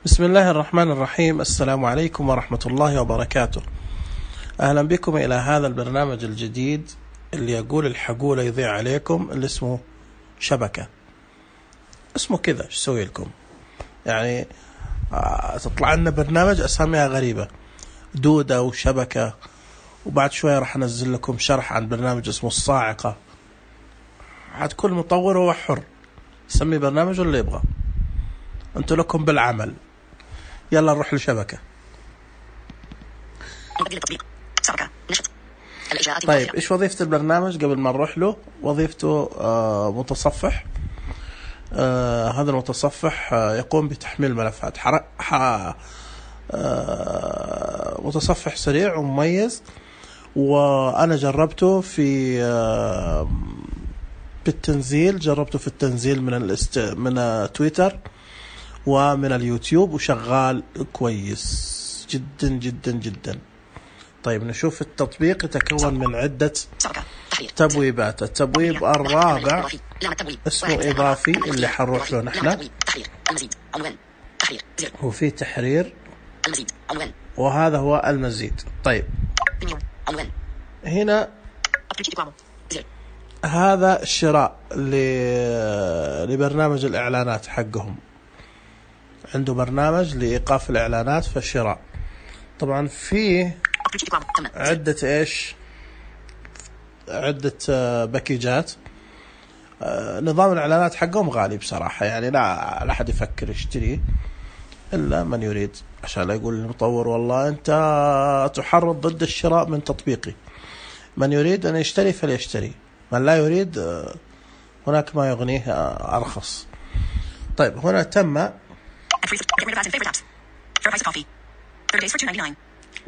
بسم الله الرحمن الرحيم. السلام عليكم ورحمة الله وبركاته. أهلا بكم إلى هذا البرنامج الجديد اللي يقول الحقولة يضيع عليكم، اللي اسمه شبكة. اسمه كذا، ايش سوي لكم يعني؟ تطلع لنا برنامج أساميها غريبة، دودة وشبكة، وبعد شوية راح أنزل لكم شرح عن برنامج اسمه الصاعقة. عاد كل مطور هو حر يسمي برنامج اللي يبغى، أنتوا لكم بالعمل. يلا نروح لشبكة. طيب إيش وظيفة البرنامج قبل ما نروح له؟ وظيفته متصفح. هذا المتصفح يقوم بتحميل ملفات متصفح سريع ومميز، وأنا جربته في بالتنزيل، جربته في التنزيل من تويتر ومن اليوتيوب، وشغال كويس جدا جدا جدا. طيب نشوف التطبيق. يتكون من عدة تبويبات. التبويب الرابع اسمه إضافي، اللي حنروح له نحن، وفي تحرير، وهذا هو المزيد. طيب هنا هذا الشراء لبرنامج الإعلانات حقهم، عنده برنامج لإيقاف الإعلانات في الشراء. طبعا فيه عدة باكيجات. نظام الإعلانات حقهم غالي بصراحة، يعني لا أحد يفكر يشتريه إلا من يريد، عشان لا يقول المطور والله أنت تحرض ضد الشراء من تطبيقي. من يريد أن يشتري فليشتري، من لا يريد هناك ما يغنيه أرخص. طيب هنا تم،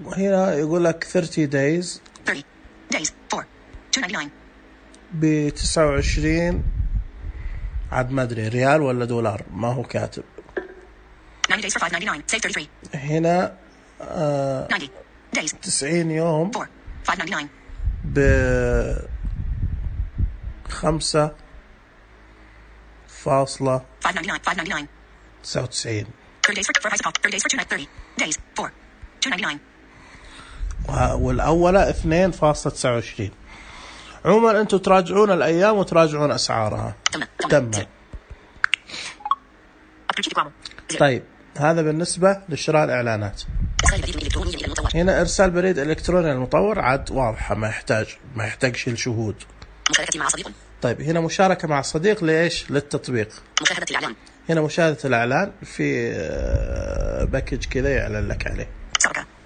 وهنا يقول لك 30 days for $2.99 ب29، عاد ما أدري ريال ولا دولار، ما هو كاتب. 90 days for $5.99 save 33. هنا 90 يوم for $5.99 ب 5.99. 30 days for 30 days for $2.99. والأولى 2.29. عموما أنتم تراجعون الأيام وتراجعون أسعارها. تم. طيب هذا بالنسبة لشراء الإعلانات. هنا إرسال بريد إلكتروني للمطور، عاد واضحة، ما يحتاج شيء شهود. طيب هنا مشاركة مع صديق لإيش؟ للتطبيق. مشاهدة الإعلان. هنا مشاهدة الإعلان في باكج كذا يعلن لك عليه.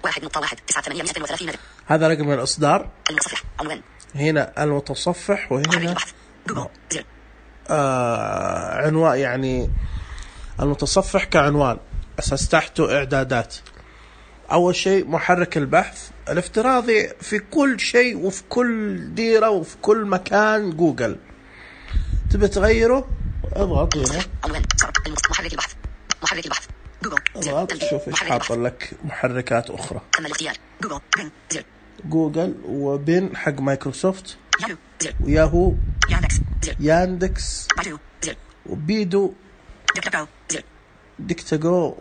1.1.9.830. هذا رقم الإصدار. المتصفح عنوان. هنا المتصفح، وهنا عنوان، يعني المتصفح كعنوان. أساس تحته إعدادات. أول شيء محرك البحث الافتراضي في كل شيء وفي كل ديرة وفي كل مكان جوجل. تبي تغيره اضغط هنا محرك البحث اضغط، شوف ايش حاط لك محركات أخرى. جوجل وبين حق مايكروسوفت، وياهو، ياندكس، وبيدو، ديكتاغو.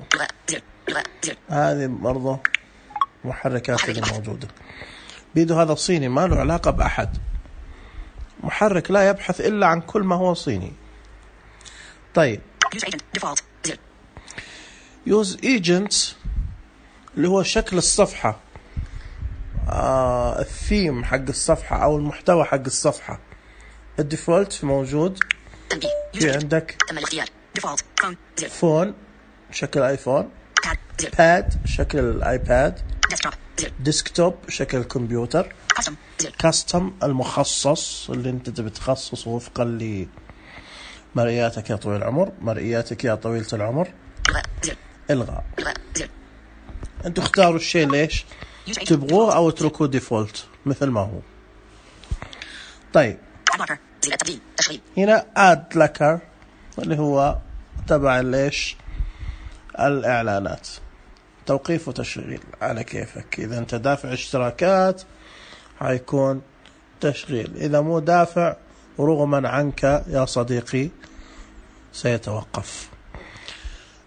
هذه برضه محركات اللي موجودة. بيدو هذا صيني، ما له علاقة بأحد، محرك لا يبحث إلا عن كل ما هو صيني. طيب يوز ايجنت اللي هو شكل الصفحة، الثيم حق الصفحة أو المحتوى حق الصفحة. الديفولت موجود، في عندك فون شكل آيفون، باد شكل الآيباد، ديسكتوب شكل الكمبيوتر، كاستم المخصص اللي انت بتخصصه وفقا لمرئياتك يا طويل العمر، مرئياتك يا طويلة العمر. الغاء. انتوا اختاروا الشيء ليش تبغوه او اتركوه ديفولت مثل ما هو. طيب هنا اد لكر اللي هو تبع ليش الإعلانات، توقيف وتشغيل على كيفك. إذا أنت دافع اشتراكات هيكون تشغيل، إذا مو دافع رغما عنك يا صديقي سيتوقف.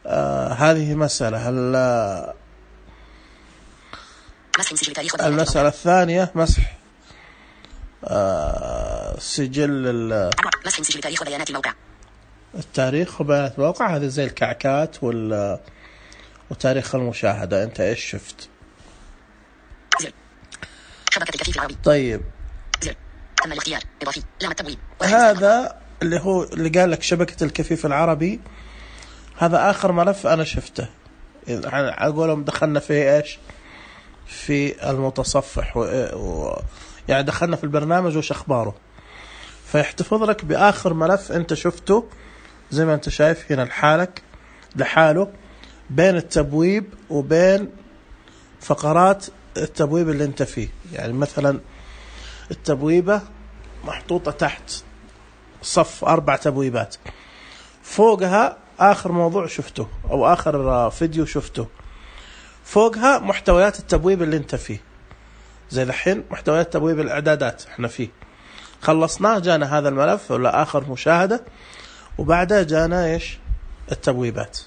هذه مسألة. المسألة الثانية مسح سجل التاريخ وبيانات الموقع. هذه زي الكعكات وتاريخ المشاهدة. أنت إيش شفت؟ طيب هذا اللي قال لك شبكة الكفيف العربي، هذا آخر ملف أنا شفته. أقولهم دخلنا في إيش؟ في المتصفح يعني دخلنا في البرنامج وش أخباره، فيحتفظ لك بآخر ملف أنت شفته زي ما أنت شايف هنا لحاله بين التبويب وبين فقرات التبويب اللي أنت فيه. يعني مثلا التبويبة محطوطة تحت صف 4 تبويبات، فوقها آخر موضوع شفته أو آخر فيديو شفته، فوقها محتويات التبويب اللي انت فيه. زي الحين محتويات تبويب الإعدادات احنا فيه، خلصناه جانا هذا الملف ولا آخر مشاهدة، وبعدها جانا ايش؟ التبويبات.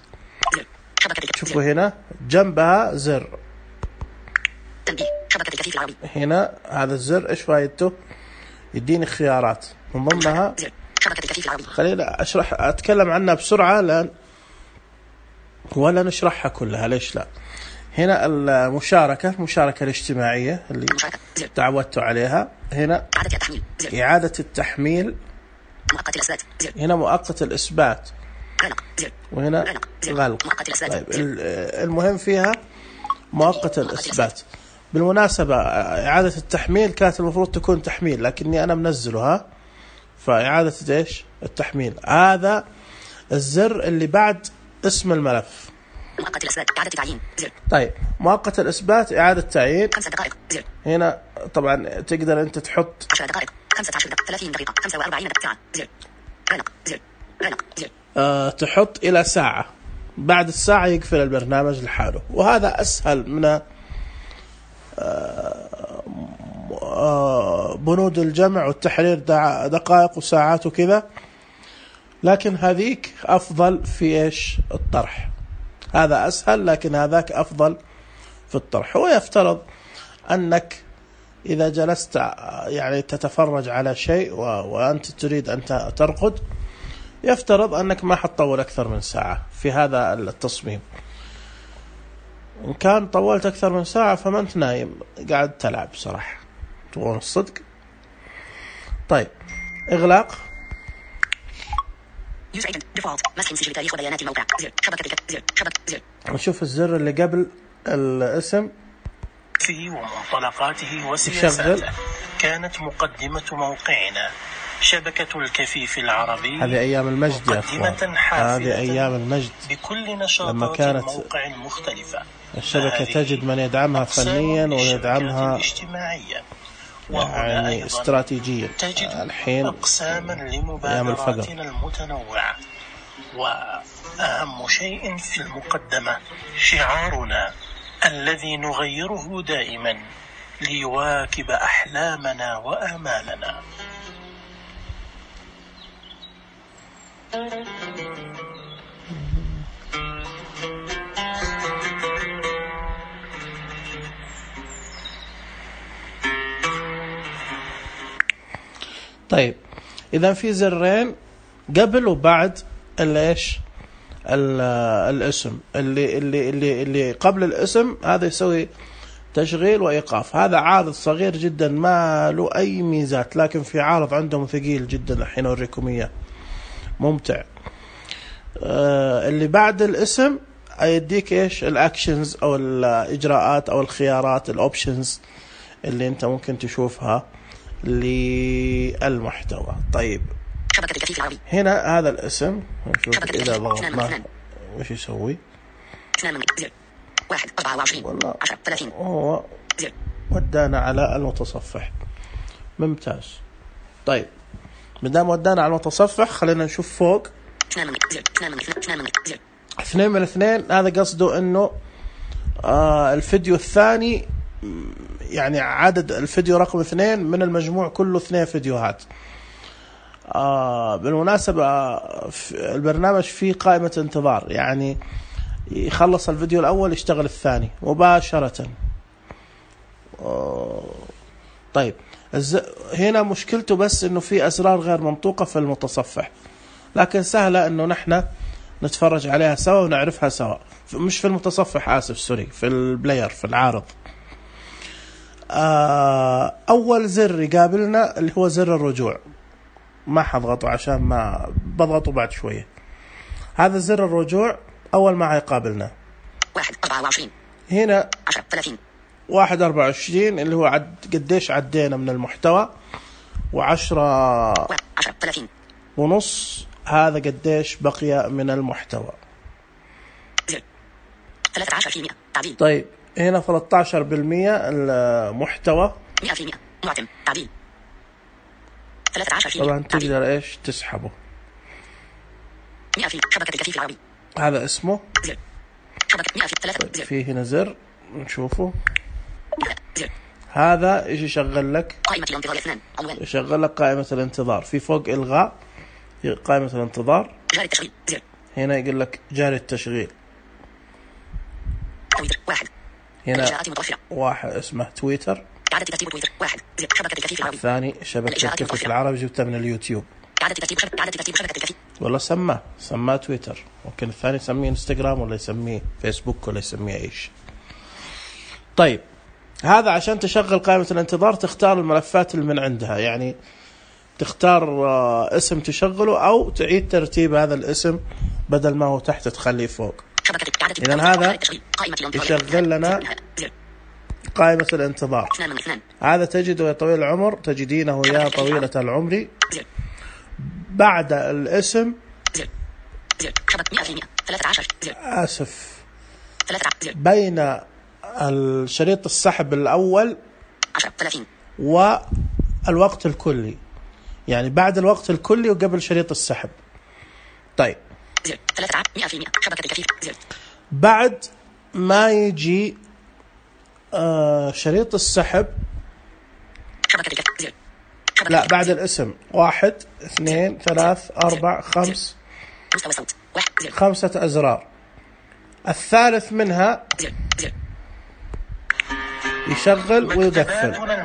شوفوا هنا جنبها زر هنا، هذا الزر ايش فايدته؟ يديني خيارات من ضمنها، خلينا أتكلم عنها بسرعة لأن ولا نشرحها كلها، ليش لا. هنا المشاركة الاجتماعية اللي تعودتوا عليها. هنا إعادة التحميل، هنا مؤقت الإثبات، وهنا غلق. طيب المهم فيها مؤقت الإثبات. بالمناسبة إعادة التحميل كانت المفروض تكون تحميل، لكني أنا منزلها، فإعادة إيش؟ التحميل. هذا الزر اللي بعد اسم الملف. مؤقت الإثبات إعادة تعيين زر. طيب مؤقت الإثبات إعادة تعيين 5 دقائق زر. هنا طبعا تقدر أنت تحط 10 دقائق 15 دقيقة 30 دقيقة 45 دقيقة زر. غلق زر. غلق زر. تحط إلى ساعة، بعد الساعة يقفل البرنامج لحاله. وهذا أسهل من بنود الجمع والتحرير دقائق وساعات وكذا، لكن هذيك أفضل في إيش؟ الطرح. هذا أسهل لكن هذاك أفضل في الطرح. ويفترض أنك إذا جلست يعني تتفرج على شيء وأنت تريد أن ترقد، يفترض أنك ما حتطول أكثر من ساعة في هذا التصميم. إن كان طولت أكثر من ساعة فما أنت نايم، قاعد تلعب صراحة، تقول الصدق. طيب إغلاق. نشوف الزر اللي قبل الاسم في ومنطلقاته وسياساته. كانت مقدمة موقعنا شبكة الكفيف العربي. هذه أيام المجد يا أخوان، هذه أيام المجد بكل نشاطات الموقع المختلفة. الشبكة تجد من يدعمها فنيا ويدعمها اجتماعيا يعني استراتيجيا. الحين أقساما لمبادراتنا المتنوعة. وأهم شيء في المقدمة شعارنا الذي نغيره دائما ليواكب أحلامنا وآمالنا. طيب إذا في زرين قبل وبعد ايش؟ الاسم. اللي قبل الاسم هذا يسوي تشغيل وإيقاف. هذا عارض صغير جدا ما له أي ميزات، لكن في عارض عندهم ثقيل جدا الحين أوريكم إياه، ممتع. اللي بعد الاسم يديك إيش؟ الأكشنز أو الإجراءات أو الخيارات، الأوبشنز اللي أنت ممكن تشوفها للمحتوى. طيب هنا هذا الاسم، نشوف إذا ضغطنا وش يسوي. 1 هو ودانا على المتصفح. ممتاز. طيب مدام ودانا على المتصفح خلينا نشوف فوق 2 من 2. هذا قصده انه الفيديو الثاني، يعني عدد الفيديو رقم 2 من المجموع كله 2 فيديوهات. بالمناسبة البرنامج فيه قائمة انتظار، يعني يخلص الفيديو الأول يشتغل الثاني مباشرة. طيب هنا مشكلته بس إنه في أزرار غير منطوقة في المتصفح، لكن سهلة إنه نحن نتفرج عليها سوا ونعرفها سوا. مش في المتصفح، آسف سوري، في البلاير، في العارض. أول زر يقابلنا اللي هو زر الرجوع، ما حضغطه عشان ما بضغطه بعد شوية. هذا زر الرجوع أول ما هيقابلنا 1:24 هنا 10:30 1:24 اللي هو قديش عدينا من المحتوى، و10:30 ونص هذا قديش بقي من المحتوى. 13% تعديل. طيب هنا 13% المحتوى 100% معتم تعديل. 13% طبعا تقدر ايش تسحبه. 100% شبكة الكفيف العربي، هذا اسمه زر شبكة 100%. طيب في هنا زر نشوفه، زر هذا ايش يشغل لك؟ قائمة الانتظار 2 عنوان، يشغل لك قائمة الانتظار. في فوق إلغاء قائمة الانتظار، جاري التشغيل زر، هنا يقول لك جاري التشغيل. تويتر 1 هنا الإجراءات متوفرة، واحد اسمه تويتر. إعادة ترتيب تويتر 1 زر شبكة الكفيف العربي. ثاني شبكة الكفيف العربي جبتها من اليوتيوب. إعادة ترتيب شبكة الكفيف. والله سماه تويتر، ممكن الثاني يسميه انستغرام ولا يسميه فيسبوك ولا يسميه ايش. طيب هذا عشان تشغل قائمة الانتظار تختار الملفات اللي من عندها، يعني تختار اسم تشغله أو تعيد ترتيب هذا الاسم بدل ما هو تحت تخليه فوق. إذن هذا يشغل لنا قائمة الانتظار. هذا تجده يا طويل العمر، تجدينه يا طويلة العمر بعد الاسم. آسف، بين الشريط السحب الأول والوقت الكلي، يعني بعد الوقت الكلي وقبل شريط السحب. طيب بعد ما يجي شريط السحب، لا بعد الاسم 1 2 3 4 5 5 أزرار. الثالث منها يشغل ويقفل.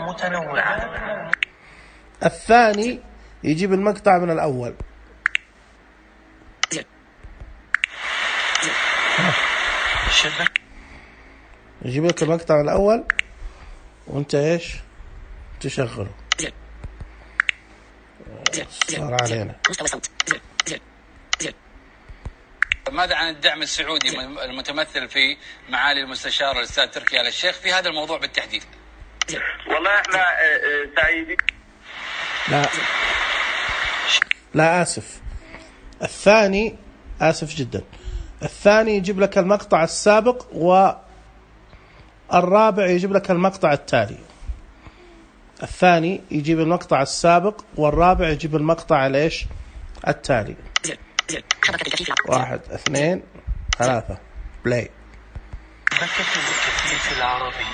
الثاني يجيب المقطع من الأول. يجيب لك المقطع من الأول وانت ايش تشغله. صار علينا. ماذا عن الدعم السعودي المتمثل في معالي المستشار الأستاذ تركي آل الشيخ في هذا الموضوع بالتحديد؟ والله احنا سعيدين. لا آسف، الثاني آسف جدا. الثاني يجيب لك المقطع السابق والرابع يجيب لك المقطع التالي. الثاني يجيب المقطع السابق والرابع يجيب المقطع الايش التالي. 1 2 3 بلاي. شبكة الكفيف العربي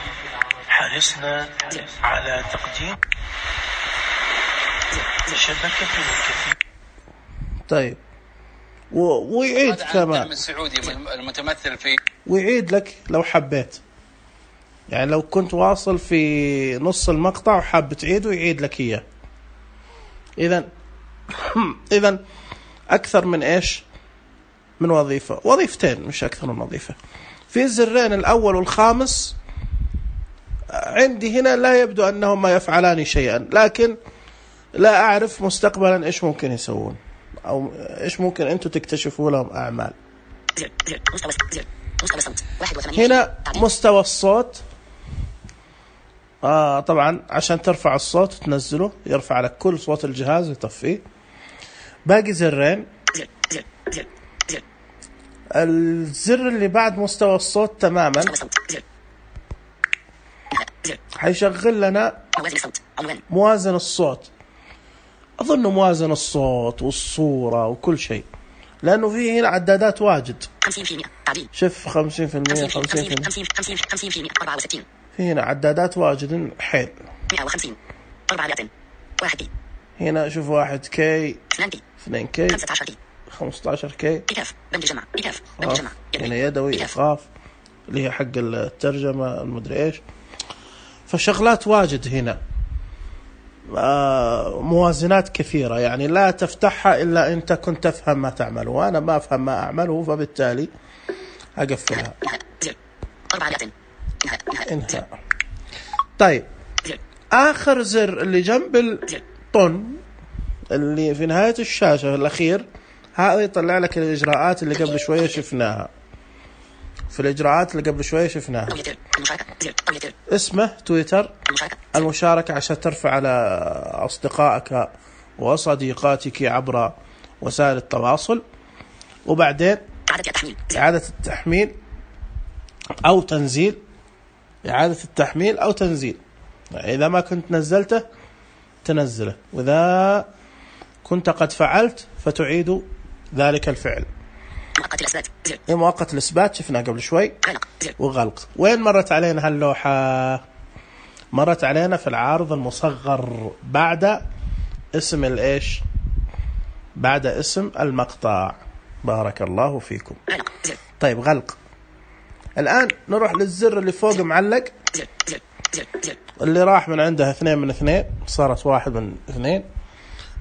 حرصنا على تقديم شبكة الكفيف. طيب ويعيد كمان الدعم السعودي المتمثل في، ويعيد لك لو حبيت، يعني لو كنت واصل في نص المقطع وحاب تعيده يعيد لك إياه. إذن أكثر من إيش من وظيفة، وظيفتين مش أكثر من وظيفة. في الزرين الأول والخامس عندي هنا لا يبدو أنهما يفعلان شيئا، لكن لا أعرف مستقبلا إيش ممكن يسوون أو إيش ممكن أنتوا تكتشفوا لهم أعمال. هنا مستوى الصوت. طبعا عشان ترفع الصوت وتنزله يرفع لك كل صوت الجهاز ويطفيه. باقي زرين. الزر اللي بعد مستوى الصوت تماما حيشغل لنا موازن الصوت. أظن موازن الصوت والصورة وكل شيء، لأنه فيه هنا عدادات واجد. 50% تعديل. شوف 50% 50% 64. في هنا عدادات واجد حيل. 150 400 1 هنا شوف 1K 2K 2K 15K 15K. إيقاف بند الجمع. إيقاف بند الجمع. هنا يدوي إيقاف اللي هي حق الترجمة المدري إيش. فشغلات واجد هنا، موازنات كثيرة، يعني لا تفتحها إلا أنت كنت تفهم ما تعمل، وأنا ما أفهم ما أعمله، فبالتالي أقفلها. زر 4 آيات. انهاء. طيب آخر زر اللي جنب الطن اللي في نهاية الشاشة الأخير، هذا يطلع لك الإجراءات اللي قبل شوية شفناها. في الإجراءات اللي قبل شوية شفناها اسمه تويتر، المشاركة عشان ترفع على أصدقائك وصديقاتك عبر وسائل التواصل، وبعدين إعادة التحميل أو تنزيل، إعادة التحميل أو تنزيل. إذا ما كنت نزلته تنزله، وإذا كنت قد فعلت فتعيد ذلك الفعل. مؤقت الإثبات شفنا قبل شوي، وغلق. وين مرت علينا هاللوحة؟ مرت علينا في العارض المصغر بعد اسم الإيش؟ بعد اسم المقطع. بارك الله فيكم. طيب غلق. الآن نروح للزر اللي فوق معلق، اللي راح من عنده 2 من 2 صارت 1 من 2.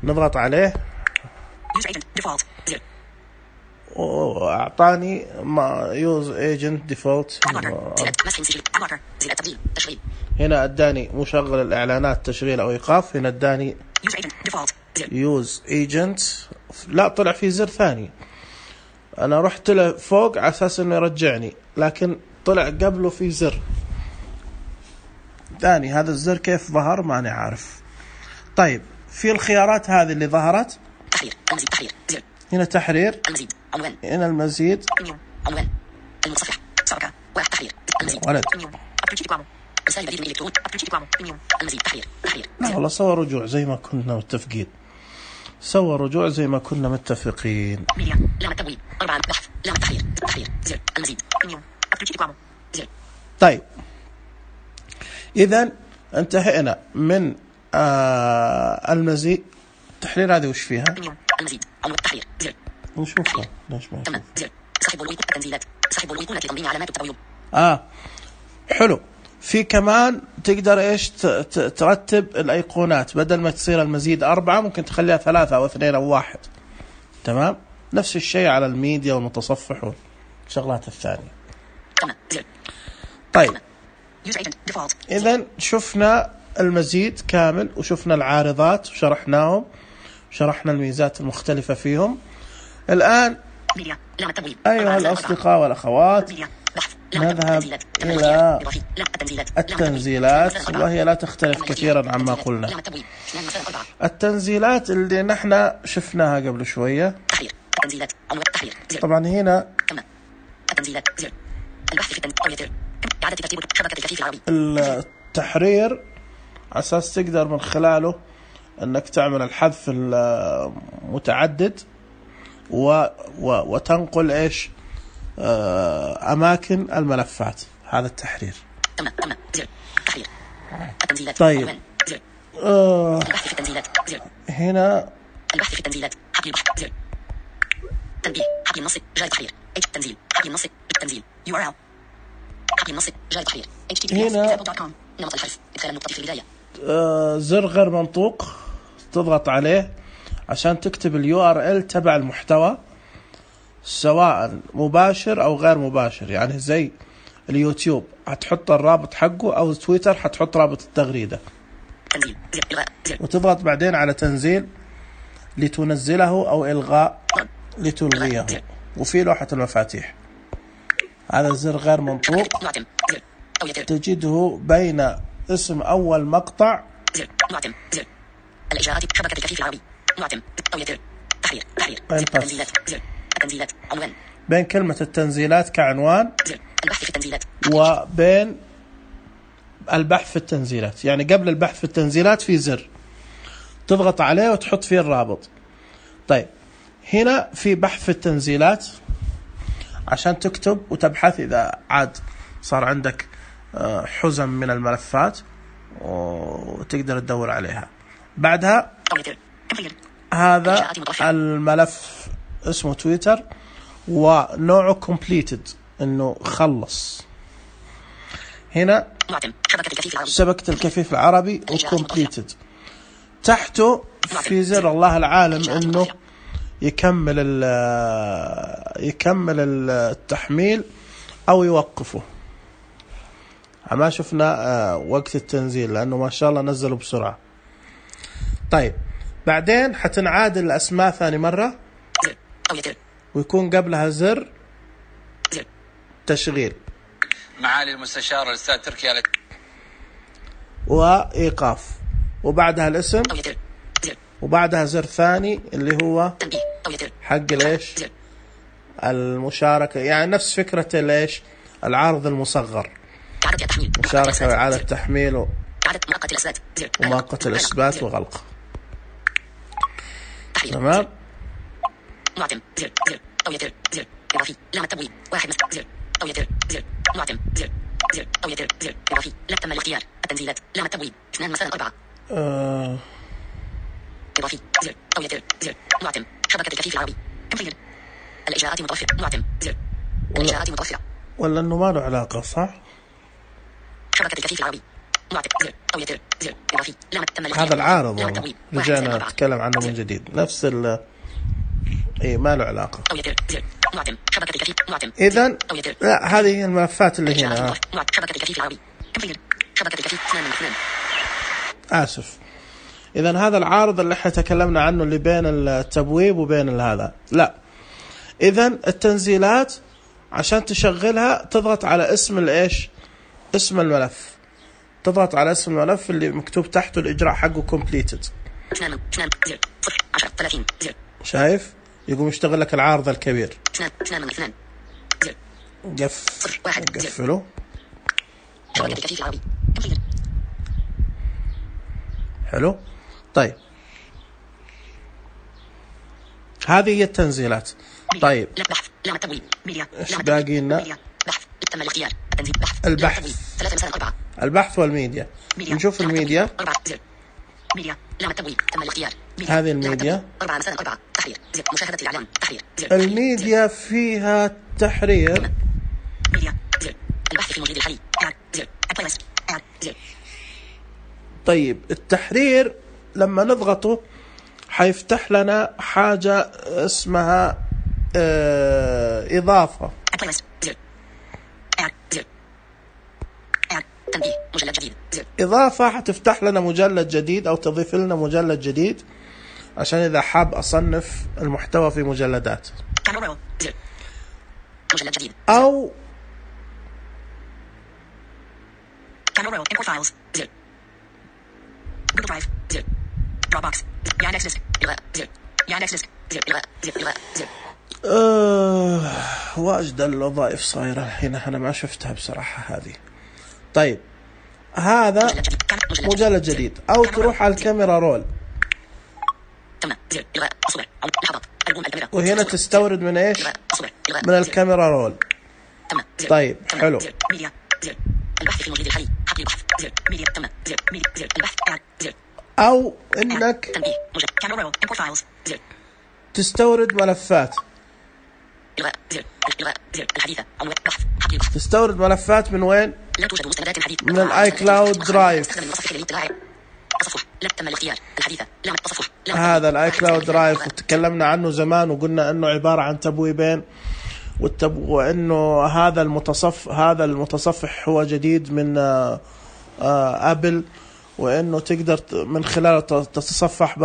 نضغط عليه وأعطاني يوز ايجنت ديفولت. هنا اداني مشغل الاعلانات تشغيل او ايقاف. هنا اداني يوز ايجنت. لا، طلع في زر ثاني. انا رحت له فوق على اساس انه يرجعني، لكن طلع قبله في زر ثاني. هذا الزر كيف ظهر ماني عارف. طيب في الخيارات هذه اللي ظهرت، تحرير، المزيد، تحرير، زر. هنا تحرير، المزيد، عنوان، هنا المزيد، عنوان، المتصفح، شبكة، واحد، تحرير، المزيد، ولد، رسائل بريد الإلكتروني، المزيد، تحرير، لا والله سوى رجوع زي ما كنا متفقين. سوى رجوع زي ما كنا متفقين. ميديا، لام التبويب، 4 بحث، لام التحرير، تحرير، زر، المزيد، زر. طيب إذن انتهينا من المزيد. تحرير هذه وش فيها؟ المزيد، عنوان، تحرير، زر. نشوفها ليش ما تمام، زر. سحب والأيقونة التنزيلات، سحب والأيقونة تضمين علامات التبويب. حلو. في كمان تقدر ايش ترتب الايقونات، بدل ما تصير المزيد 4 ممكن تخليها 3 أو 2 أو 1. تمام. نفس الشيء على الميديا والمتصفح والشغلات الثانية. تمام، زر. طيب إذن شفنا المزيد كامل، وشفنا العارضات وشرحناهم، شرحنا الميزات المختلفة فيهم. الآن أيها الأصدقاء والأخوات نذهب إلى التنزيلات، وهي لا تختلف كثيرا عما قلنا. التنزيلات اللي نحن شفناها قبل شوية. طبعا هنا التحرير أساس تقدر من خلاله أنك تعمل الحذف المتعدد وتنقل إيش أماكن الملفات. هذا التحرير. طيب هنا البحث في التنزيلات، حقل البحث، زر. تنبيه، حقل النص، جاي تحرير، التنزيل، حقل النص، التنزيل، URL، حقل النص، جاي تحرير، https://example.com، نمط الحذف، إدخال النقطة في البداية. زر غير منطوق تضغط عليه عشان تكتب URL تبع المحتوى، سواء مباشر أو غير مباشر. يعني زي اليوتيوب هتحط الرابط حقه، أو تويتر هتحط رابط التغريدة. تنزيل، زر، إلغاء، زر. وتضغط بعدين على تنزيل لتنزله، أو إلغاء لتلغيه. وفي لوحة المفاتيح هذا زر غير منطوق تجده بين اسم أول مقطع، زر، معتم، زر. الإجراءات، شبكة الكفيف العربي، معتم، تويتر، تحرير، التنزيلات، زر. التنزيلات، عنوان. بين كلمة التنزيلات كعنوان، زر. البحث في التنزيلات، وبين البحث في التنزيلات. يعني قبل البحث في التنزيلات في زر تضغط عليه وتحط فيه الرابط. طيب هنا في بحث في التنزيلات عشان تكتب وتبحث إذا عاد صار عندك حزم من الملفات وتقدر تدور عليها. بعدها هذا الملف اسمه تويتر ونوعه completed إنه خلص. هنا شبكة الكفيف العربي وcompleted. تحته في زر الله العالم إنه يكمل التحميل أو يوقفه. ما شفنا وقت التنزيل لأنه ما شاء الله نزلوا بسرعة. طيب بعدين حتنعاد الأسماء ثاني مرة ويكون قبلها زر تشغيل معالي المستشار الأستاذ تركي آل وإيقاف، وبعدها الاسم، وبعدها زر ثاني اللي هو حق ليش المشاركة، يعني نفس فكرة ليش العرض المصغر، مشاركة وإعادة تحميل ومؤقت الإثبات وغلق. تمام. معتم زر زر أو يتر زر إضافي لام التبويب واحد زر أو يتر زر معتم زر زر أو يتر زر إضافي لا تم الاختيار التنزيلات لام التبويب 2 مساء 4 إضافي زر أو يتر زر معتم شبكة الكفيف العربي كمبيوتر الإجراءات متوفرة معتم زر الإجراءات متوفرة ولا إنه ما له علاقة صح؟ شبكة الكفيف العربي معتم زر أو يتر زر إضافي لام تم هذا العارض رجعنا نتكلم عنه من جديد نفس اي ما له علاقة. إذن لا هذه هي الملفات اللي هنا. آسف. إذن هذا العارض اللي احنا تكلمنا عنه اللي بين التبويب وبين هذا. لا. إذن التنزيلات عشان تشغلها تضغط على اسم الإيش؟ اسم الملف. تضغط على اسم الملف اللي مكتوب تحته الإجراء حقه completed. شايف؟ يقوم يشتغل لك العارض الكبير. قفله. حلو. طيب هذه هي التنزيلات. طيب ايش باقي لنا؟ البحث والميديا. نشوف الميديا. هذه الميديا. الميديا فيها تحرير. طيب التحرير لما نضغطه حيفتح لنا حاجة اسمها إضافة. إضافة حتفتح لنا مجلد جديد أو تضيف لنا مجلد جديد عشان إذا حاب أصنف المحتوى في مجلدات أو واجد الوظائف صايرة الحين أنا ما شفتها بصراحة هذه. طيب هذا مجلد جديد أو تروح على الكاميرا رول وهنا تستورد من إيش؟ من الكاميرا رول. طيب حلو. أو إنك تستورد ملفات. تستورد ملفات من وين؟ من الاي كلاود درايف. هذا الاي كلاود درايف وتكلمنا عنه زمان وقلنا انه عبارة عن تبويبين وانه هذا المتصفح هو جديد من ابل وانه تقدر من خلاله تتصفح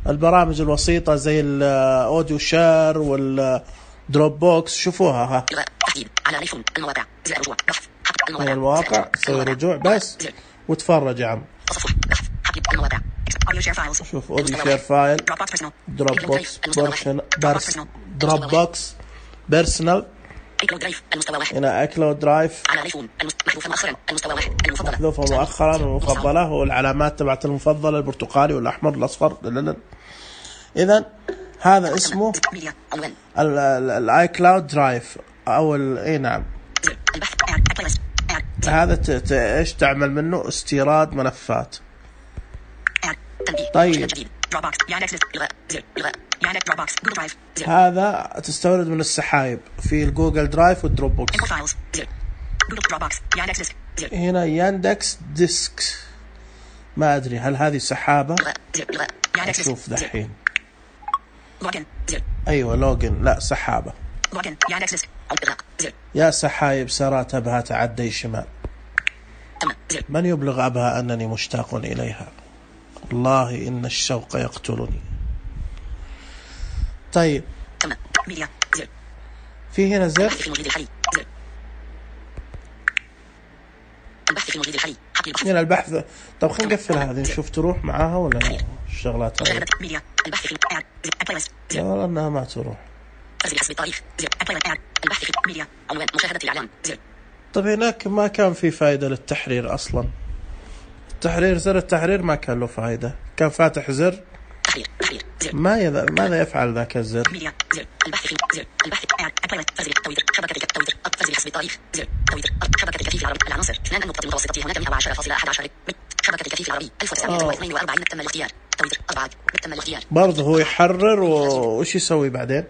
البرامج الوسيطة زي الاوديو شير والدروب بوكس. شوفوها ها من المواقع سوي رجوع بس وتفرج يا عم. شوف اوديو شير فايل دروب بوكس بيرسونال هنا اكلود درايف محذوفة مؤخرا المفضلة والعلامات تبعت المفضلة البرتقالي والأحمر الأصفر. إذن هذا اسمه الاي كلاود درايف أو اي نعم. هذا ايش تعمل منه؟ استيراد ملفات. طيب هذا تستورد من السحايب في الجوجل درايف والدروب بوكس. هنا ياندكس ديسك، ما أدري هل هذه سحابة. أشوف دحين. أيوة لوجن، لا سحابة. يا سحايب سرات أبها تعدي شمال، من يبلغ أبها أنني مشتاق إليها، والله إن الشوق يقتلني. طيب في هنا زر هنا البحث. طب خلينا نقفل هذه نشوف تروح معاها ولا لا الشغلات هذه. لا والله انها ما تروح. طب هناك ما كان في فائدة للتحرير اصلا. التحرير زر التحرير ما كان له فائدة، كان فاتح زر ماذا يفعل ذاك الزر؟ برضه هو يحرر وش يسوي بعدين؟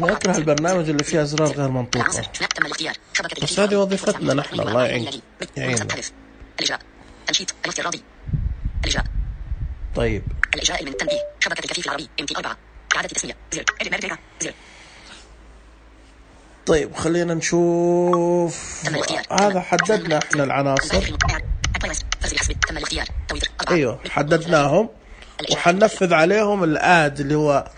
نكره البرنامج اللي فيه أزرار غير منطوقة، بس هذه وظيفتنا نحن. الله يعيننا. طيب الإجراء من التنبيه شبكة الكفيف العربي MT4 إعادة تسمية زر. طيب خلينا نشوف. هذا حددنا احنا العناصر. ايوه حددناهم وحننفذ عليهم الآد اللي هو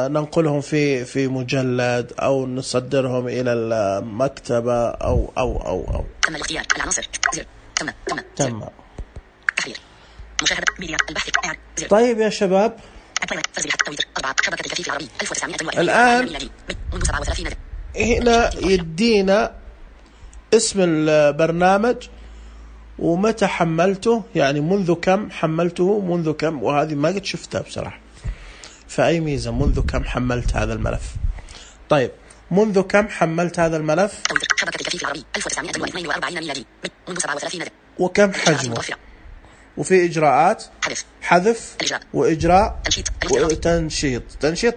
ننقلهم في مجلد او نصدرهم الى المكتبة او تم الاختيار العناصر زر. تم تحرير مشاهدة ميديا البحث. طيب يا شباب الآن هنا يدينا اسم البرنامج ومتى حملته، يعني منذ كم حملته، منذ كم، وهذه ما قد شفتها بصراحة فأي ميزة. منذ كم حملت هذا الملف؟ طيب منذ كم حملت هذا الملف؟ شبكة الكفيف العربي 1942 ميلادي منذ 37 وكم حجمه؟ وفي إجراءات حذف وإجراء وتنشيط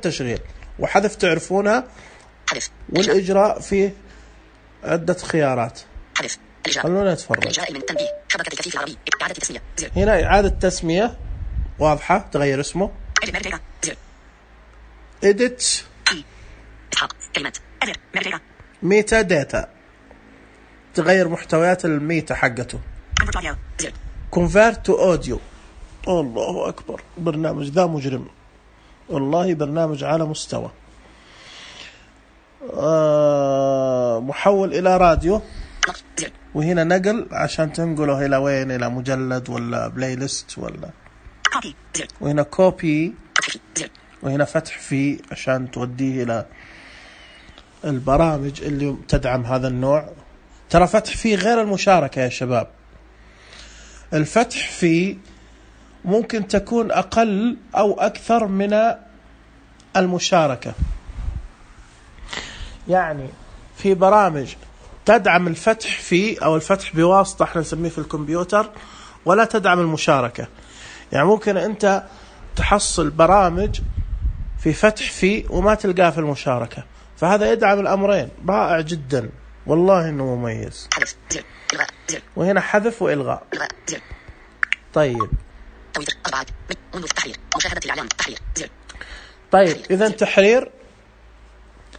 تشغيل وحذف تعرفونها. والإجراء فيه عدة خيارات. خلونا نتفرج. هنا إعادة تسمية واضحة، تغير اسمه edit ميتا داتا، تغير محتويات الميتا حقته. convert to audio. الله أكبر، برنامج ذا مجرم والله، برنامج على مستوى. محول إلى راديو، وهنا نقل عشان تنقله إلى وين، إلى مجلد ولا بلاي ليست ولا. وهنا كوبي، وهنا فتح فيه عشان توديه إلى البرامج اللي تدعم هذا النوع. ترى فتح فيه غير المشاركة يا شباب، الفتح فيه ممكن تكون أقل أو أكثر من المشاركة. يعني في برامج تدعم الفتح فيه أو الفتح بواسطة احنا نسميه في الكمبيوتر، ولا تدعم المشاركة. يعني ممكن أنت تحصل برامج في فتح فيه وما تلقاه في المشاركة، فهذا يدعم الأمرين. رائع جدا والله إنه مميز. وهنا حذف وإلغاء. طيب إذا تحرير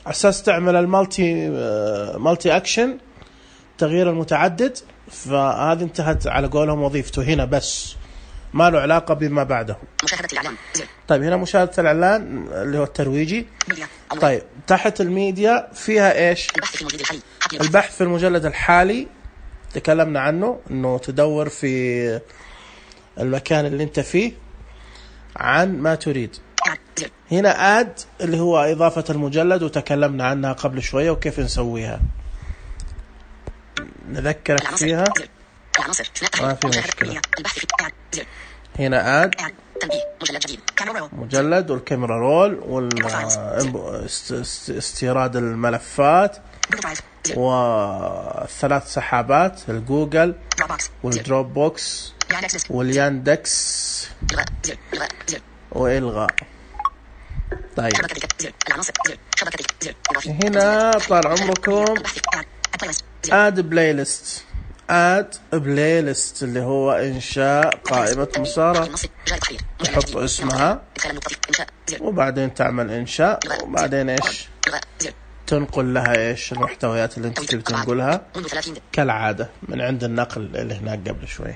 أساس تعمل المالتي أكشن، تغيير المتعدد، فهذه انتهت على قولهم وظيفته هنا، بس ما له علاقة بما بعده. مشاهدة الإعلان. طيب هنا مشاهدة الإعلان اللي هو الترويجي. طيب تحت الميديا فيها إيش؟ البحث في المجلد الحالي، تكلمنا عنه إنه تدور في المكان اللي انت فيه عن ما تريد. هنا آد اللي هو إضافة المجلد، وتكلمنا عنها قبل شوية وكيف نسويها، نذكرك فيها ما في مشكلة. هنا آد مجلد والكاميرا رول واستيراد الملفات والثلاث سحابات الجوجل والدروب بوكس والياندكس وإلغاء. طيب هنا طال عمركم add playlist اللي هو إنشاء قائمة مسارة، تحط اسمها وبعدين تعمل إنشاء وبعدين إيش تنقل لها إيش المحتويات اللي أنت تبي تنقلها كالعادة من عند النقل اللي هناك قبل شوي.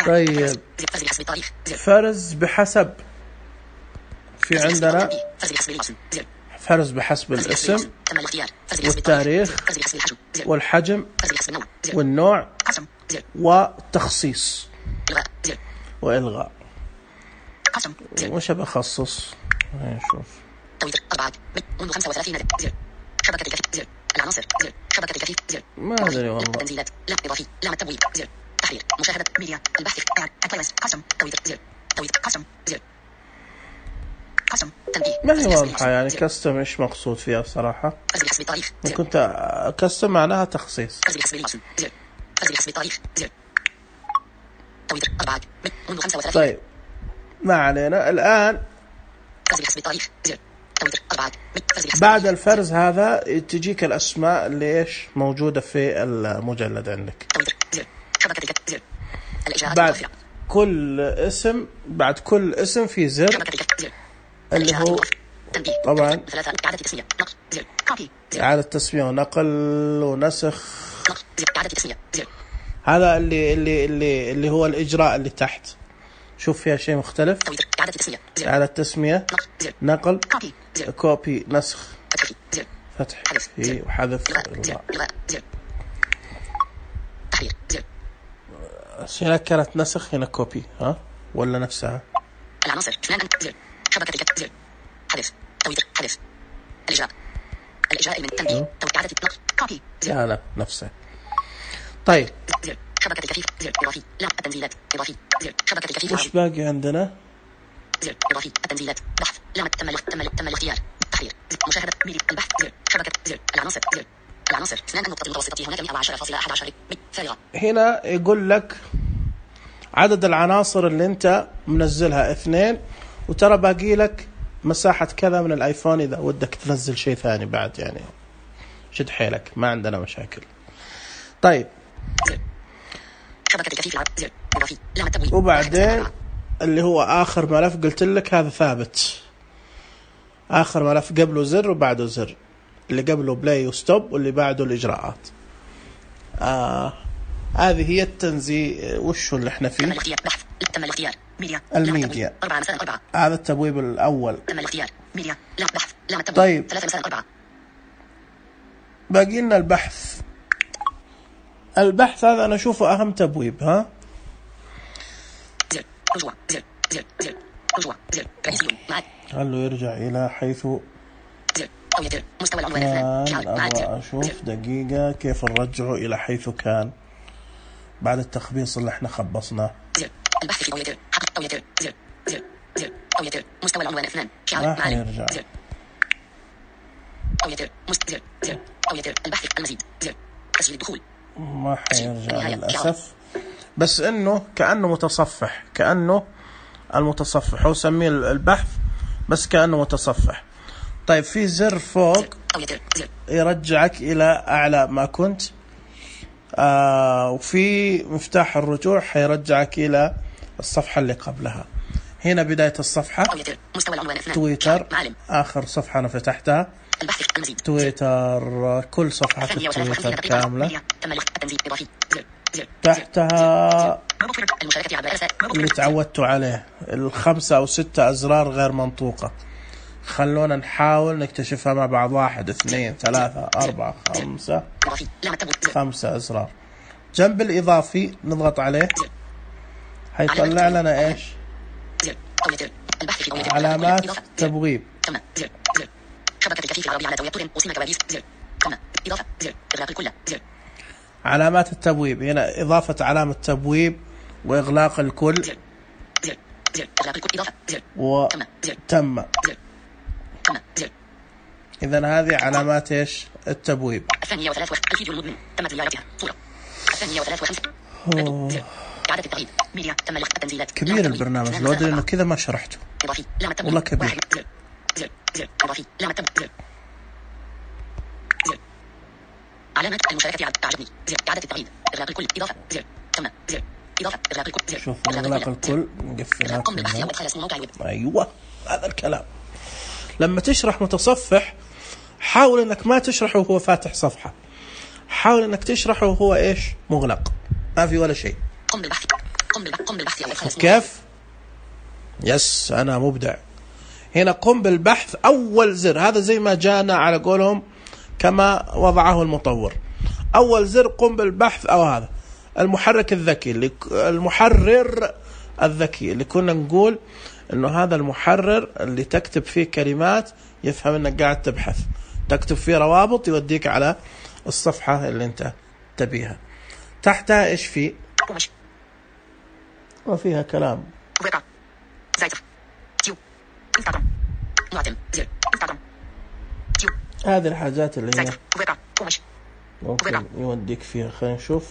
طيب فرز بحسب، في عندنا فرز بحسب الاسم والتاريخ والحجم والنوع والتخصيص وإلغاء. وش بخصص؟ نشوف. منذ 35 شبكة الكفيف العناصر شبكة الكفيف ما أدري والله. التنزيلات لا إضافي لا التبويب تحرير مشاهدة ميديا البحث قسم قسم تنبيه. ما هي واضحة يعني كستم إيش مقصود فيها بصراحة؟ كنت كستم معناها تخصيص. طيب ما علينا الآن. بعد الفرز هذا تجيك الأسماء اللي إيش موجودة في المجلد عندك. بعد كل اسم في زر اللي هو طبعا إعادة تسمية ونقل ونسخ. هذا اللي هو الإجراء اللي تحت. شوف فيها شيء مختلف. إعادة تسمية نقل كوبي نسخ فتح وحذف هنا كانت نسخ هنا كوبي ها ولا نفسها؟ العناصر شبكة حذف حذف الإجراء من التنبيه إعادة نقل كوبي لا نفسه. طيب شبكة الكفيف إضافي لا التنزيلات إضافي شبكة الكفيف. وش باقي عندنا؟ إضافي التنزيلات بحث لا تم الاختيار تحرير مشاهدة ميديا البحث شبكة العناصر اثنان النقطة المتوسطة هناك 110.11 فارغة. هنا يقول لك عدد العناصر اللي انت منزلها 2 وترى باقي لك مساحة كذا من الايفون اذا ودك تنزل شيء ثاني بعد يعني شد حيلك ما عندنا مشاكل. طيب وبعدين اللي هو آخر ملف قلت لك هذا ثابت. آخر ملف قبله زر وبعده زر، اللي قبله بلاي وستوب واللي بعده الإجراءات. هذه هي التنزيل. وشو اللي احنا فيه؟ تم الاختيار الميديا 4 هذا التبويب الأول. تم الاختيار ميديا لا بحث لا التبويب. طيب 3 باقي لنا البحث هذا أنا أشوفه أهم تبويب. ها هل يرجع إلى حيث كان. أبغى أشوف دقيقة كيف نرجعه إلى حيث كان بعد التخبيص اللي احنا خبصناه. البحث في مستوى العنوان 2 ما حيرجع. البحث المزيد تسجيل الدخول ما حيرجع للأسف. بس إنه كأنه متصفح، كأنه المتصفح هو سميه البحث بس كأنه متصفح. طيب في زر فوق يرجعك إلى أعلى ما كنت. وفي مفتاح الرجوع حيرجعك إلى الصفحة اللي قبلها. هنا بداية الصفحة تويتر آخر صفحة أنا فتحتها تويتر. كل صفحة في تويتر كاملة تحتها اللي تعودتوا عليه 5 أو 6 أزرار غير منطوقة. خلونا نحاول نكتشفها مع بعض. 1 2 3 4 5 أزرار. جنب الإضافي نضغط عليه هيطلع لنا إيش؟ علامات تبويب. علامات التبويب هنا إضافة علامة تبويب وإغلاق الكل وتم. إذن هذه علامات إيش التبويب. 203 الفيديو المدمن تم زيارتها صورة 253 إعادة التغيير ميديا تم التنزيلات. كبير البرنامج لو أدري إنه كذا ما شرحته والله كبير. زر إضافي لامة زر علامة المشاركة أعجبني زر إعادة التغيير إغلاق الكل إضافة زر تم زر إضافة إغلاق الكل زر شوف إغلاق الكل نقفلها كلها. أيوة هذا الكلام. لما تشرح متصفح حاول إنك ما تشرحه وهو فاتح صفحة، حاول إنك تشرحه وهو إيش مغلق، ما في ولا شيء. قم بالبحث كيف؟ يس أنا مبدع. هنا قم بالبحث أول زر، هذا زي ما جانا على قولهم كما وضعه المطور. أول زر قم بالبحث، أو هذا المحرك الذكي، المحرر الذكي اللي كنا نقول إنه هذا المحرر اللي تكتب فيه كلمات يفهم إنك قاعد تبحث، تكتب فيه روابط يوديك على الصفحة اللي أنت تبيها. تحتها إيش فيه؟ وفيها كلام. هذه الحاجات اللي هي ممكن يوديك فيها. خلينا نشوف.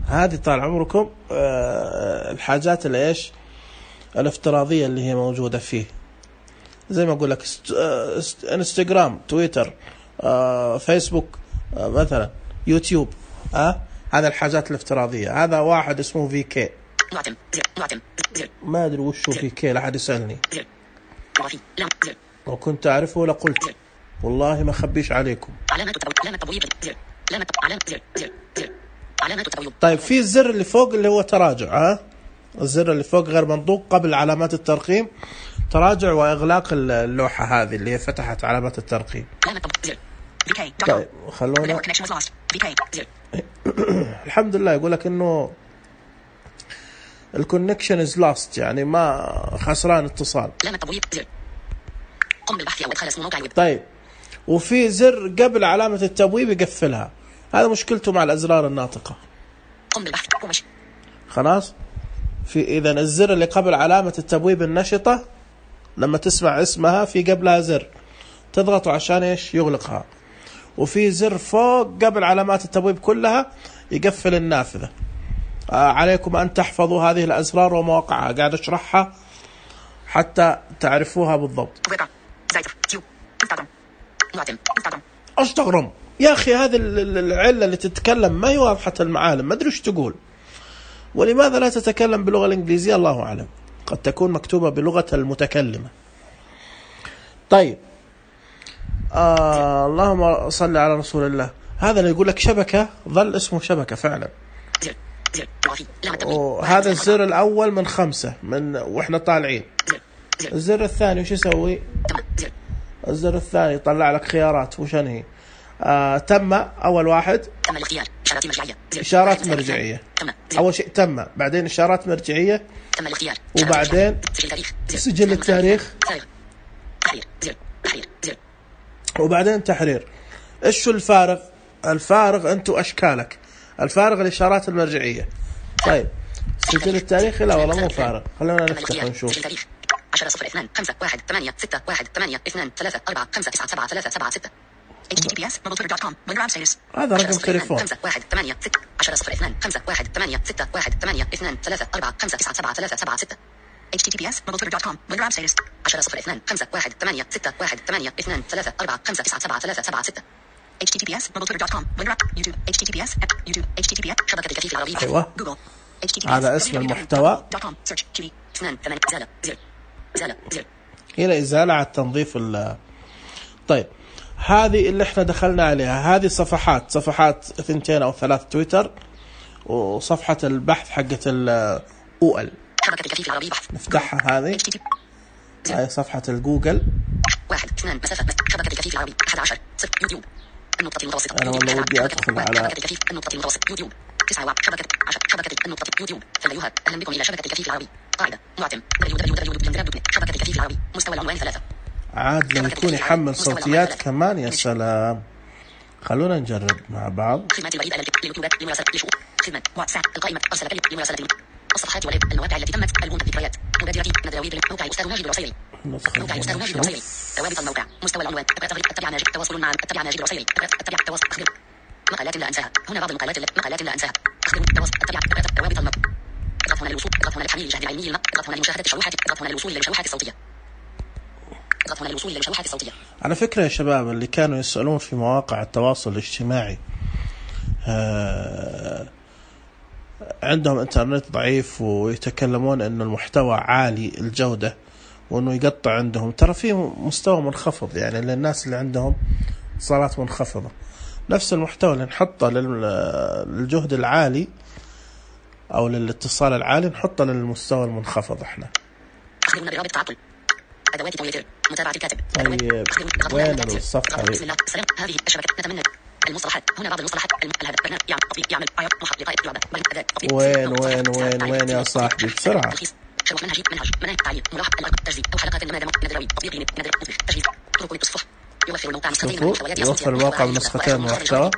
هذه طال عمركم الحاجات اللي ايش الافتراضية اللي هي موجودة فيه، زي ما اقول لك انستغرام، تويتر، فيسبوك، مثلا يوتيوب. هذا الحاجات الافتراضية. هذا واحد اسمه VK، ما أدري وشو VK، لا أحد يسألني، لو كنت أعرفه لقلت والله ما خبيش عليكم. طيب في الزر اللي فوق اللي هو تراجع، الزر اللي فوق غير منطوق قبل علامات الترقيم، تراجع وإغلاق اللوحة هذه اللي هي فتحت علامات الترقيم. طيب خلونا الحمد لله يقول لك إنه الكونكشن از لاست، يعني ما خسران اتصال. طيب وفي زر قبل علامة التبويب يقفلها، هذا مشكلته مع الأزرار الناطقة. خلاص. في إذن الزر اللي قبل علامة التبويب النشطة لما تسمع اسمها في قبلها زر تضغطوا عشان إيش يغلقها، وفي زر فوق قبل علامات التبويب كلها يقفل النافذة. عليكم أن تحفظوا هذه الأزرار ومواقعها، قاعد أشرحها حتى تعرفوها بالضبط. أستغرم يا أخي، هذه العلة اللي تتكلم ما هي واضحة المعالم، ما أدري وش تقول، ولماذا لا تتكلم باللغة الإنجليزية؟ الله أعلم، قد تكون مكتوبة بلغة المتكلمة. طيب اللهم صل على رسول الله. هذا اللي يقول لك شبكة ظل اسمه شبكة فعلا. وهذا الزر الأول من 5 من وإحنا طالعين. الزر الثاني وش يسوي؟ الزر الثاني يطلع لك خيارات، وش هي؟ تم أول واحد، تم الاختيار، إشارات مرجعية، إشارات مرجعية. أول شيء تم، بعدين إشارات مرجعية، تم الاختيار، وبعدين سجل التاريخ، وبعدين تحرير. إيش الفارق؟ الفارق أنتوا أشكالك، الفارق الإشارات المرجعية. طيب سجل التاريخ لا والله مو فارق، خلينا نفتح ونشوف. 10/02/5/1/8/6/1/8/2/3/4/5/9/7/3/7/6 https mobile.com grab status. هذا رقم تليفون. 10/02/5/1/8/6/1/8/2/3/4/5/9/7/3/7/6 https mobile.com grab status. 10/02/5/1/8/6/1/8/2/3/4/5/9/7/3/7/6 https mobile.com YouTube https YouTube https شبكة الكفيف العربية. أيوة جوجل هذا اسم المحتوى. هنا إزالة على التنظيف طيب هذه اللي احنا دخلنا عليها، هذه صفحات 2 أو 3 تويتر، وصفحة البحث حقة الأول نفتحها. هذه هاي صفحة الجوجل. 1 2 مسافة شبكة الكفيف العربي 11 0 يوتيوب النقطة المتوسطة. أنا والله ودي أدخل على شبكة الكفيف النقطة المتوسطة يوتيوب 9 شبكة النقطة يوتيوب. فالأيها أهلا بكم إلى شبكة الكفيف العربي. قاعدة معتم www.شبكة الكفيف العربي. مستوى العنوان 3. عاد لو يكون يحمل صوتيات كمان يا سلام. خلونا نجرب مع بعض. خدمات البريد لليوتيوب لمراسلة لشؤون. خدمة واتساب القائمة أرسل بريد لمراسلة الصفحات والمواقع التي تمت البوم الذكريات مبادرة ندروي موقع أستاذ ماجد الرصيري موقع أستاذ ماجد الرصيري ثوابت الموقع مستوى العنوان اتبع ماجد تواصل مع اتبع ماجد الرصيري اتبع تواصل أخبر مقالات لا أنساها هنا بعض مقالات لا أنساها أخبر تواصل اتبع ثوابت الموقع اضغط هنا للوصول اضغط هنا لتحميل الجهد العلمي اضغط هنا لمشاهدة الشروحات اضغط هنا للوصول إلى الشروحات الصوتية اضغط هنا للوصول إلى الشروحات الصوتية. على فكرة يا شباب اللي كانوا يسألون في مواقع التواصل الاجتماعي عندهم انترنت ضعيف ويتكلمون انه المحتوى عالي الجودة وانه يقطع عندهم، ترى في مستوى منخفض يعني للناس اللي عندهم اتصالات منخفضة. نفس المحتوى اللي نحطه للجهد العالي او للاتصال العالي نحطه للمستوى المنخفض احنا. اخبرنا برابط تعطل ادوات تويتر متابعة الكاتب. طيب وين الصفحة بسم الله السلام هذه الشبكة نتمنى المصطلحات هنا بعض المصطلحات الهدف برنامج يعمل محط لقاء لعبة وين يا صاحبي بسرعة. شروح منهج تعليم ملاحظ تجزئة أو حلقات ندروي تطبيق تجهيز طرق للتصفح يوفر الموقع نسختين من المحتوى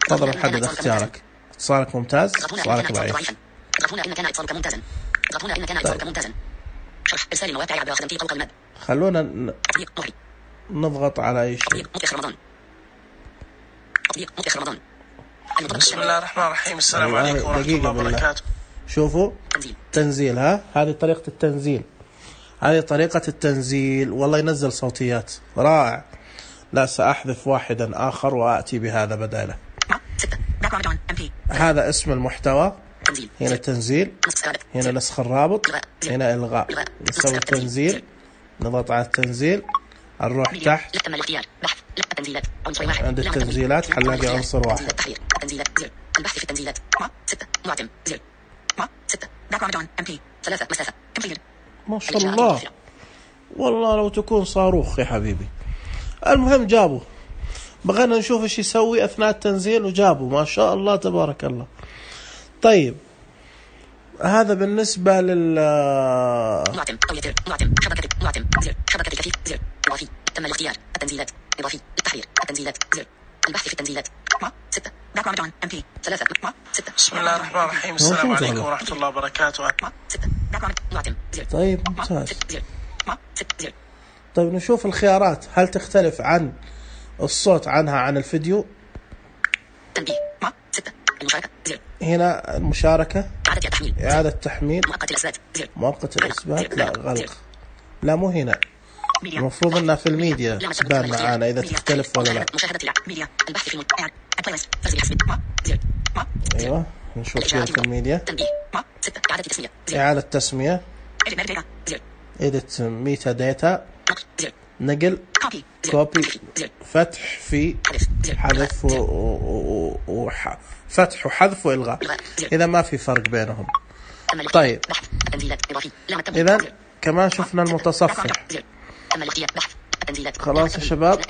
فضلا حدد اختيارك. اتصالك ممتاز اتصالك ضعيف. اضغط هنا إن كان اتصالك ممتازا اضغط هنا إن كان اتصالك ممتازا شرح إرسال المواقع عبر خدمتي فوق المد. خلونا نضغط على أي شيء. تطبيق رمضان بسم الله الرحمن الرحيم. السلام عليكم ورحمة الله وبركاته. شوفوا تنزيل هذه طريقة التنزيل، هذه طريقة التنزيل. والله ينزل صوتيات رائع. لا سأحذف واحدا آخر وأتي بهذا بداله. هذا اسم المحتوى، هنا التنزيل، هنا نسخ الرابط، هنا إلغاء. نسوي التنزيل نضغط على التنزيل نروح تحت عند التنزيلات حنلاقي عنصر واحد. البحث في التنزيلات 6 معتم زر 6 باك MP 3 مسافة كمبيوتر. ما شاء الله والله لو تكون صاروخ يا حبيبي. المهم جابوا، بغينا نشوف ايش يسوي اثناء التنزيل وجابوا ما شاء الله تبارك الله. طيب هذا بالنسبة لل معتم شبكة زر شبكة كفيف زر إضافي تم الاختيار التنزيلات إضافي التحرير التنزيلات زر البحث في التنزيلات 6 باك MP 3 6. بسم الله الرحمن الرحيم. السلام عليكم ورحمة الله وبركاته. 6 معتم زر. طيب ممتاز. طيب نشوف الخيارات هل تختلف عن الصوت عنها عن الفيديو. تنبيه 6 المشاركة زر. هنا المشاركة إعادة تحميل مؤقت الإثبات لا غلق. لا مو هنا، المفروض انها في الميديا تبان معانا اذا تختلف ولا لا. ايوه نشوف كيف في الميديا. إعادة تسمية edit ميتا داتا نقل كوبي فتح في حذف فتح وحذف وإلغاء. إذا ما في فرق بينهم. طيب إذا كمان شفنا المتصفح. خلاص يا شباب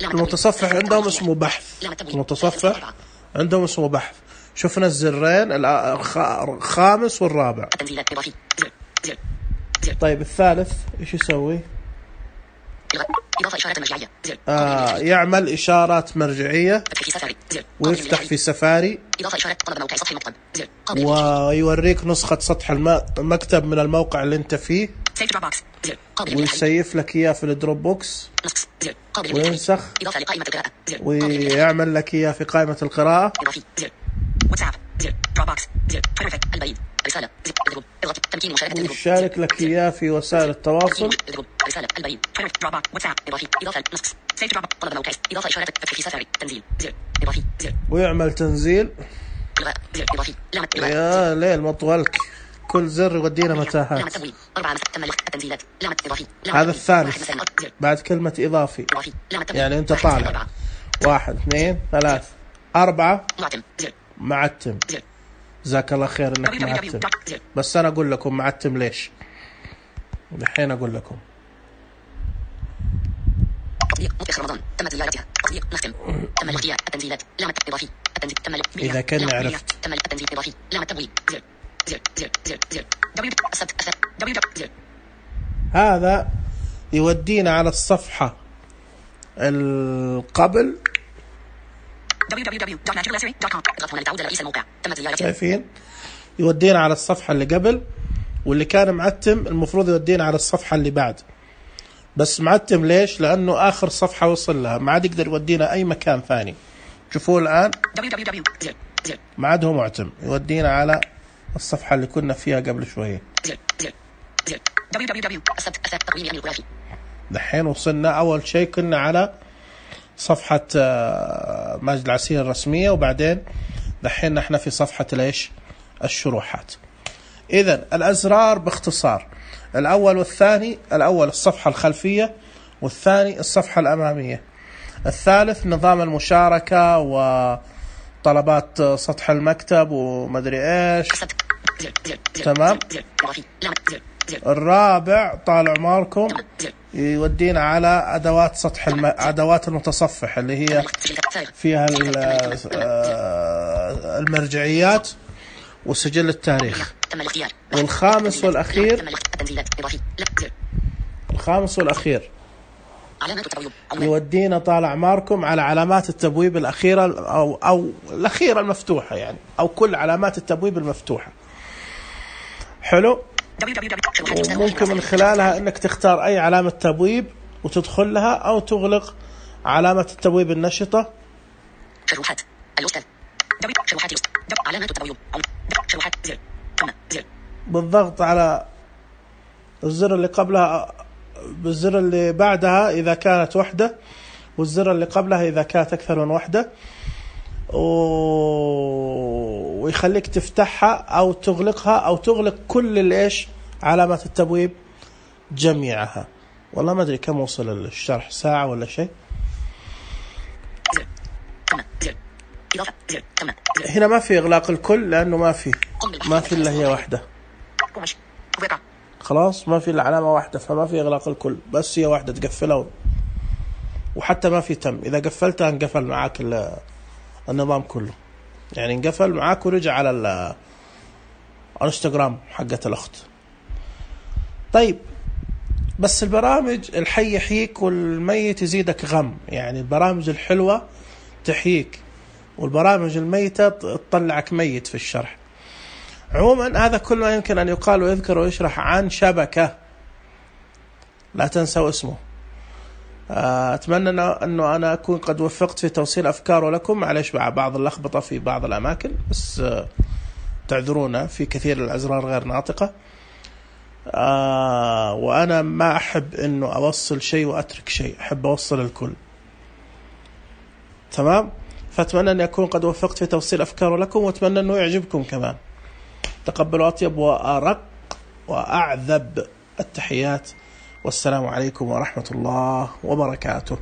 المتصفح عندهم اسمه بحث. المتصفح عندهم اسمه بحث. شفنا الزرين الخامس والرابع. طيب الثالث ايش يسوي؟ يعمل إشارات مرجعية ويفتح في سفاري ويوريك نسخة سطح المكتب من الموقع اللي انت فيه ويسيف لك إياه في الدروب بوكس وينسخ ويعمل لك إياه في قائمة القراءة. ويشارك لك إياه في وسائل التواصل. ويعمل تنزيل. يا ليل مطولك كل زر يودينا متاهات. هذا الثالث بعد كلمة إضافي يعني أنت طالع 1 2 3 4 معتم. جزاك الله خير انك معتم، بس انا اقول لكم معتم ليش الحين اقول لكم. تطبيق رمضان تم زيارتها. تطبيق نختم تم الاختيار التنزيلات لامة اضافي التنزيل تم اذا كان عرفت تم التنزيل اضافي لامة تبويب زر. هذا يودينا على الصفحة القبل www.magicalessery.com. اضغط هنا لتعود لرئيس الموقع. تم زيارة. شايفين يودينا على الصفحة اللي قبل، واللي كان معتم المفروض يودينا على الصفحة اللي بعد، بس معتم ليش؟ لأنه آخر صفحة وصل لها، ما عاد يقدر يودينا أي مكان ثاني. شوفوا الآن ما عاد هو معتم، يودينا على الصفحة اللي كنا فيها قبل شوية. دحين وصلنا أول شيء كنا على صفحة ماجد العسيري الرسمية، وبعدين دحين نحن في صفحة ليش الشروحات. إذن الأزرار باختصار: الأول والثاني، الأول الصفحة الخلفية، والثاني الصفحة الأمامية. الثالث نظام المشاركة وطلبات سطح المكتب ومدري إيش. تمام. الرابع طال عمركم يودينا على أدوات سطح أدوات المتصفح اللي هي فيها المرجعيات وسجل التاريخ. والخامس والأخير يودينا طال أعماركم على علامات التبويب الأخيرة أو الأخيرة المفتوحة يعني، أو كل علامات التبويب المفتوحة. حلو. وممكن من خلالها أنك تختار أي علامة تبويب وتدخل لها، أو تغلق علامة التبويب النشطة. شروحات الأستاذ. شروحات علامات التبويب. شروحات زر. بالضغط على الزر اللي قبلها بالزر اللي بعدها إذا كانت وحدة، والزر اللي قبلها إذا كانت أكثر من وحدة، ويخليك تفتحها أو تغلقها أو تغلق كل الإيش علامات التبويب جميعها. والله ما أدري كم وصل الشرح، ساعة ولا شيء. هنا ما في إغلاق الكل لأنه ما في إلا هي واحدة، خلاص ما في إلا علامة واحدة، فما في إغلاق الكل، بس هي واحدة تقفلها. وحتى ما في تم، إذا قفلتها انقفل معاك النظام كله، يعني انقفل معاك ورجع على الانستغرام حقة الأخت. طيب بس البرامج الحي يحييك والميت يزيدك غم، يعني البرامج الحلوة تحييك والبرامج الميتة تطلعك ميت في الشرح. عموما هذا كل ما يمكن أن يقال ويذكر ويشرح عن شبكة، لا تنسوا اسمه. أتمنى أنه أنا أكون قد وفقت في توصيل أفكاره لكم، معليش مع بعض اللخبطة في بعض الأماكن، بس تعذرونا في كثير الأزرار غير ناطقة. وأنا ما أحب أنه أوصل شيء وأترك شيء، أحب أوصل الكل. تمام. فأتمنى أن أكون قد وفقت في توصيل أفكاره لكم، وأتمنى أنه يعجبكم كمان. تقبلوا أطيب وأرق وأعذب التحيات، والسلام عليكم ورحمة الله وبركاته.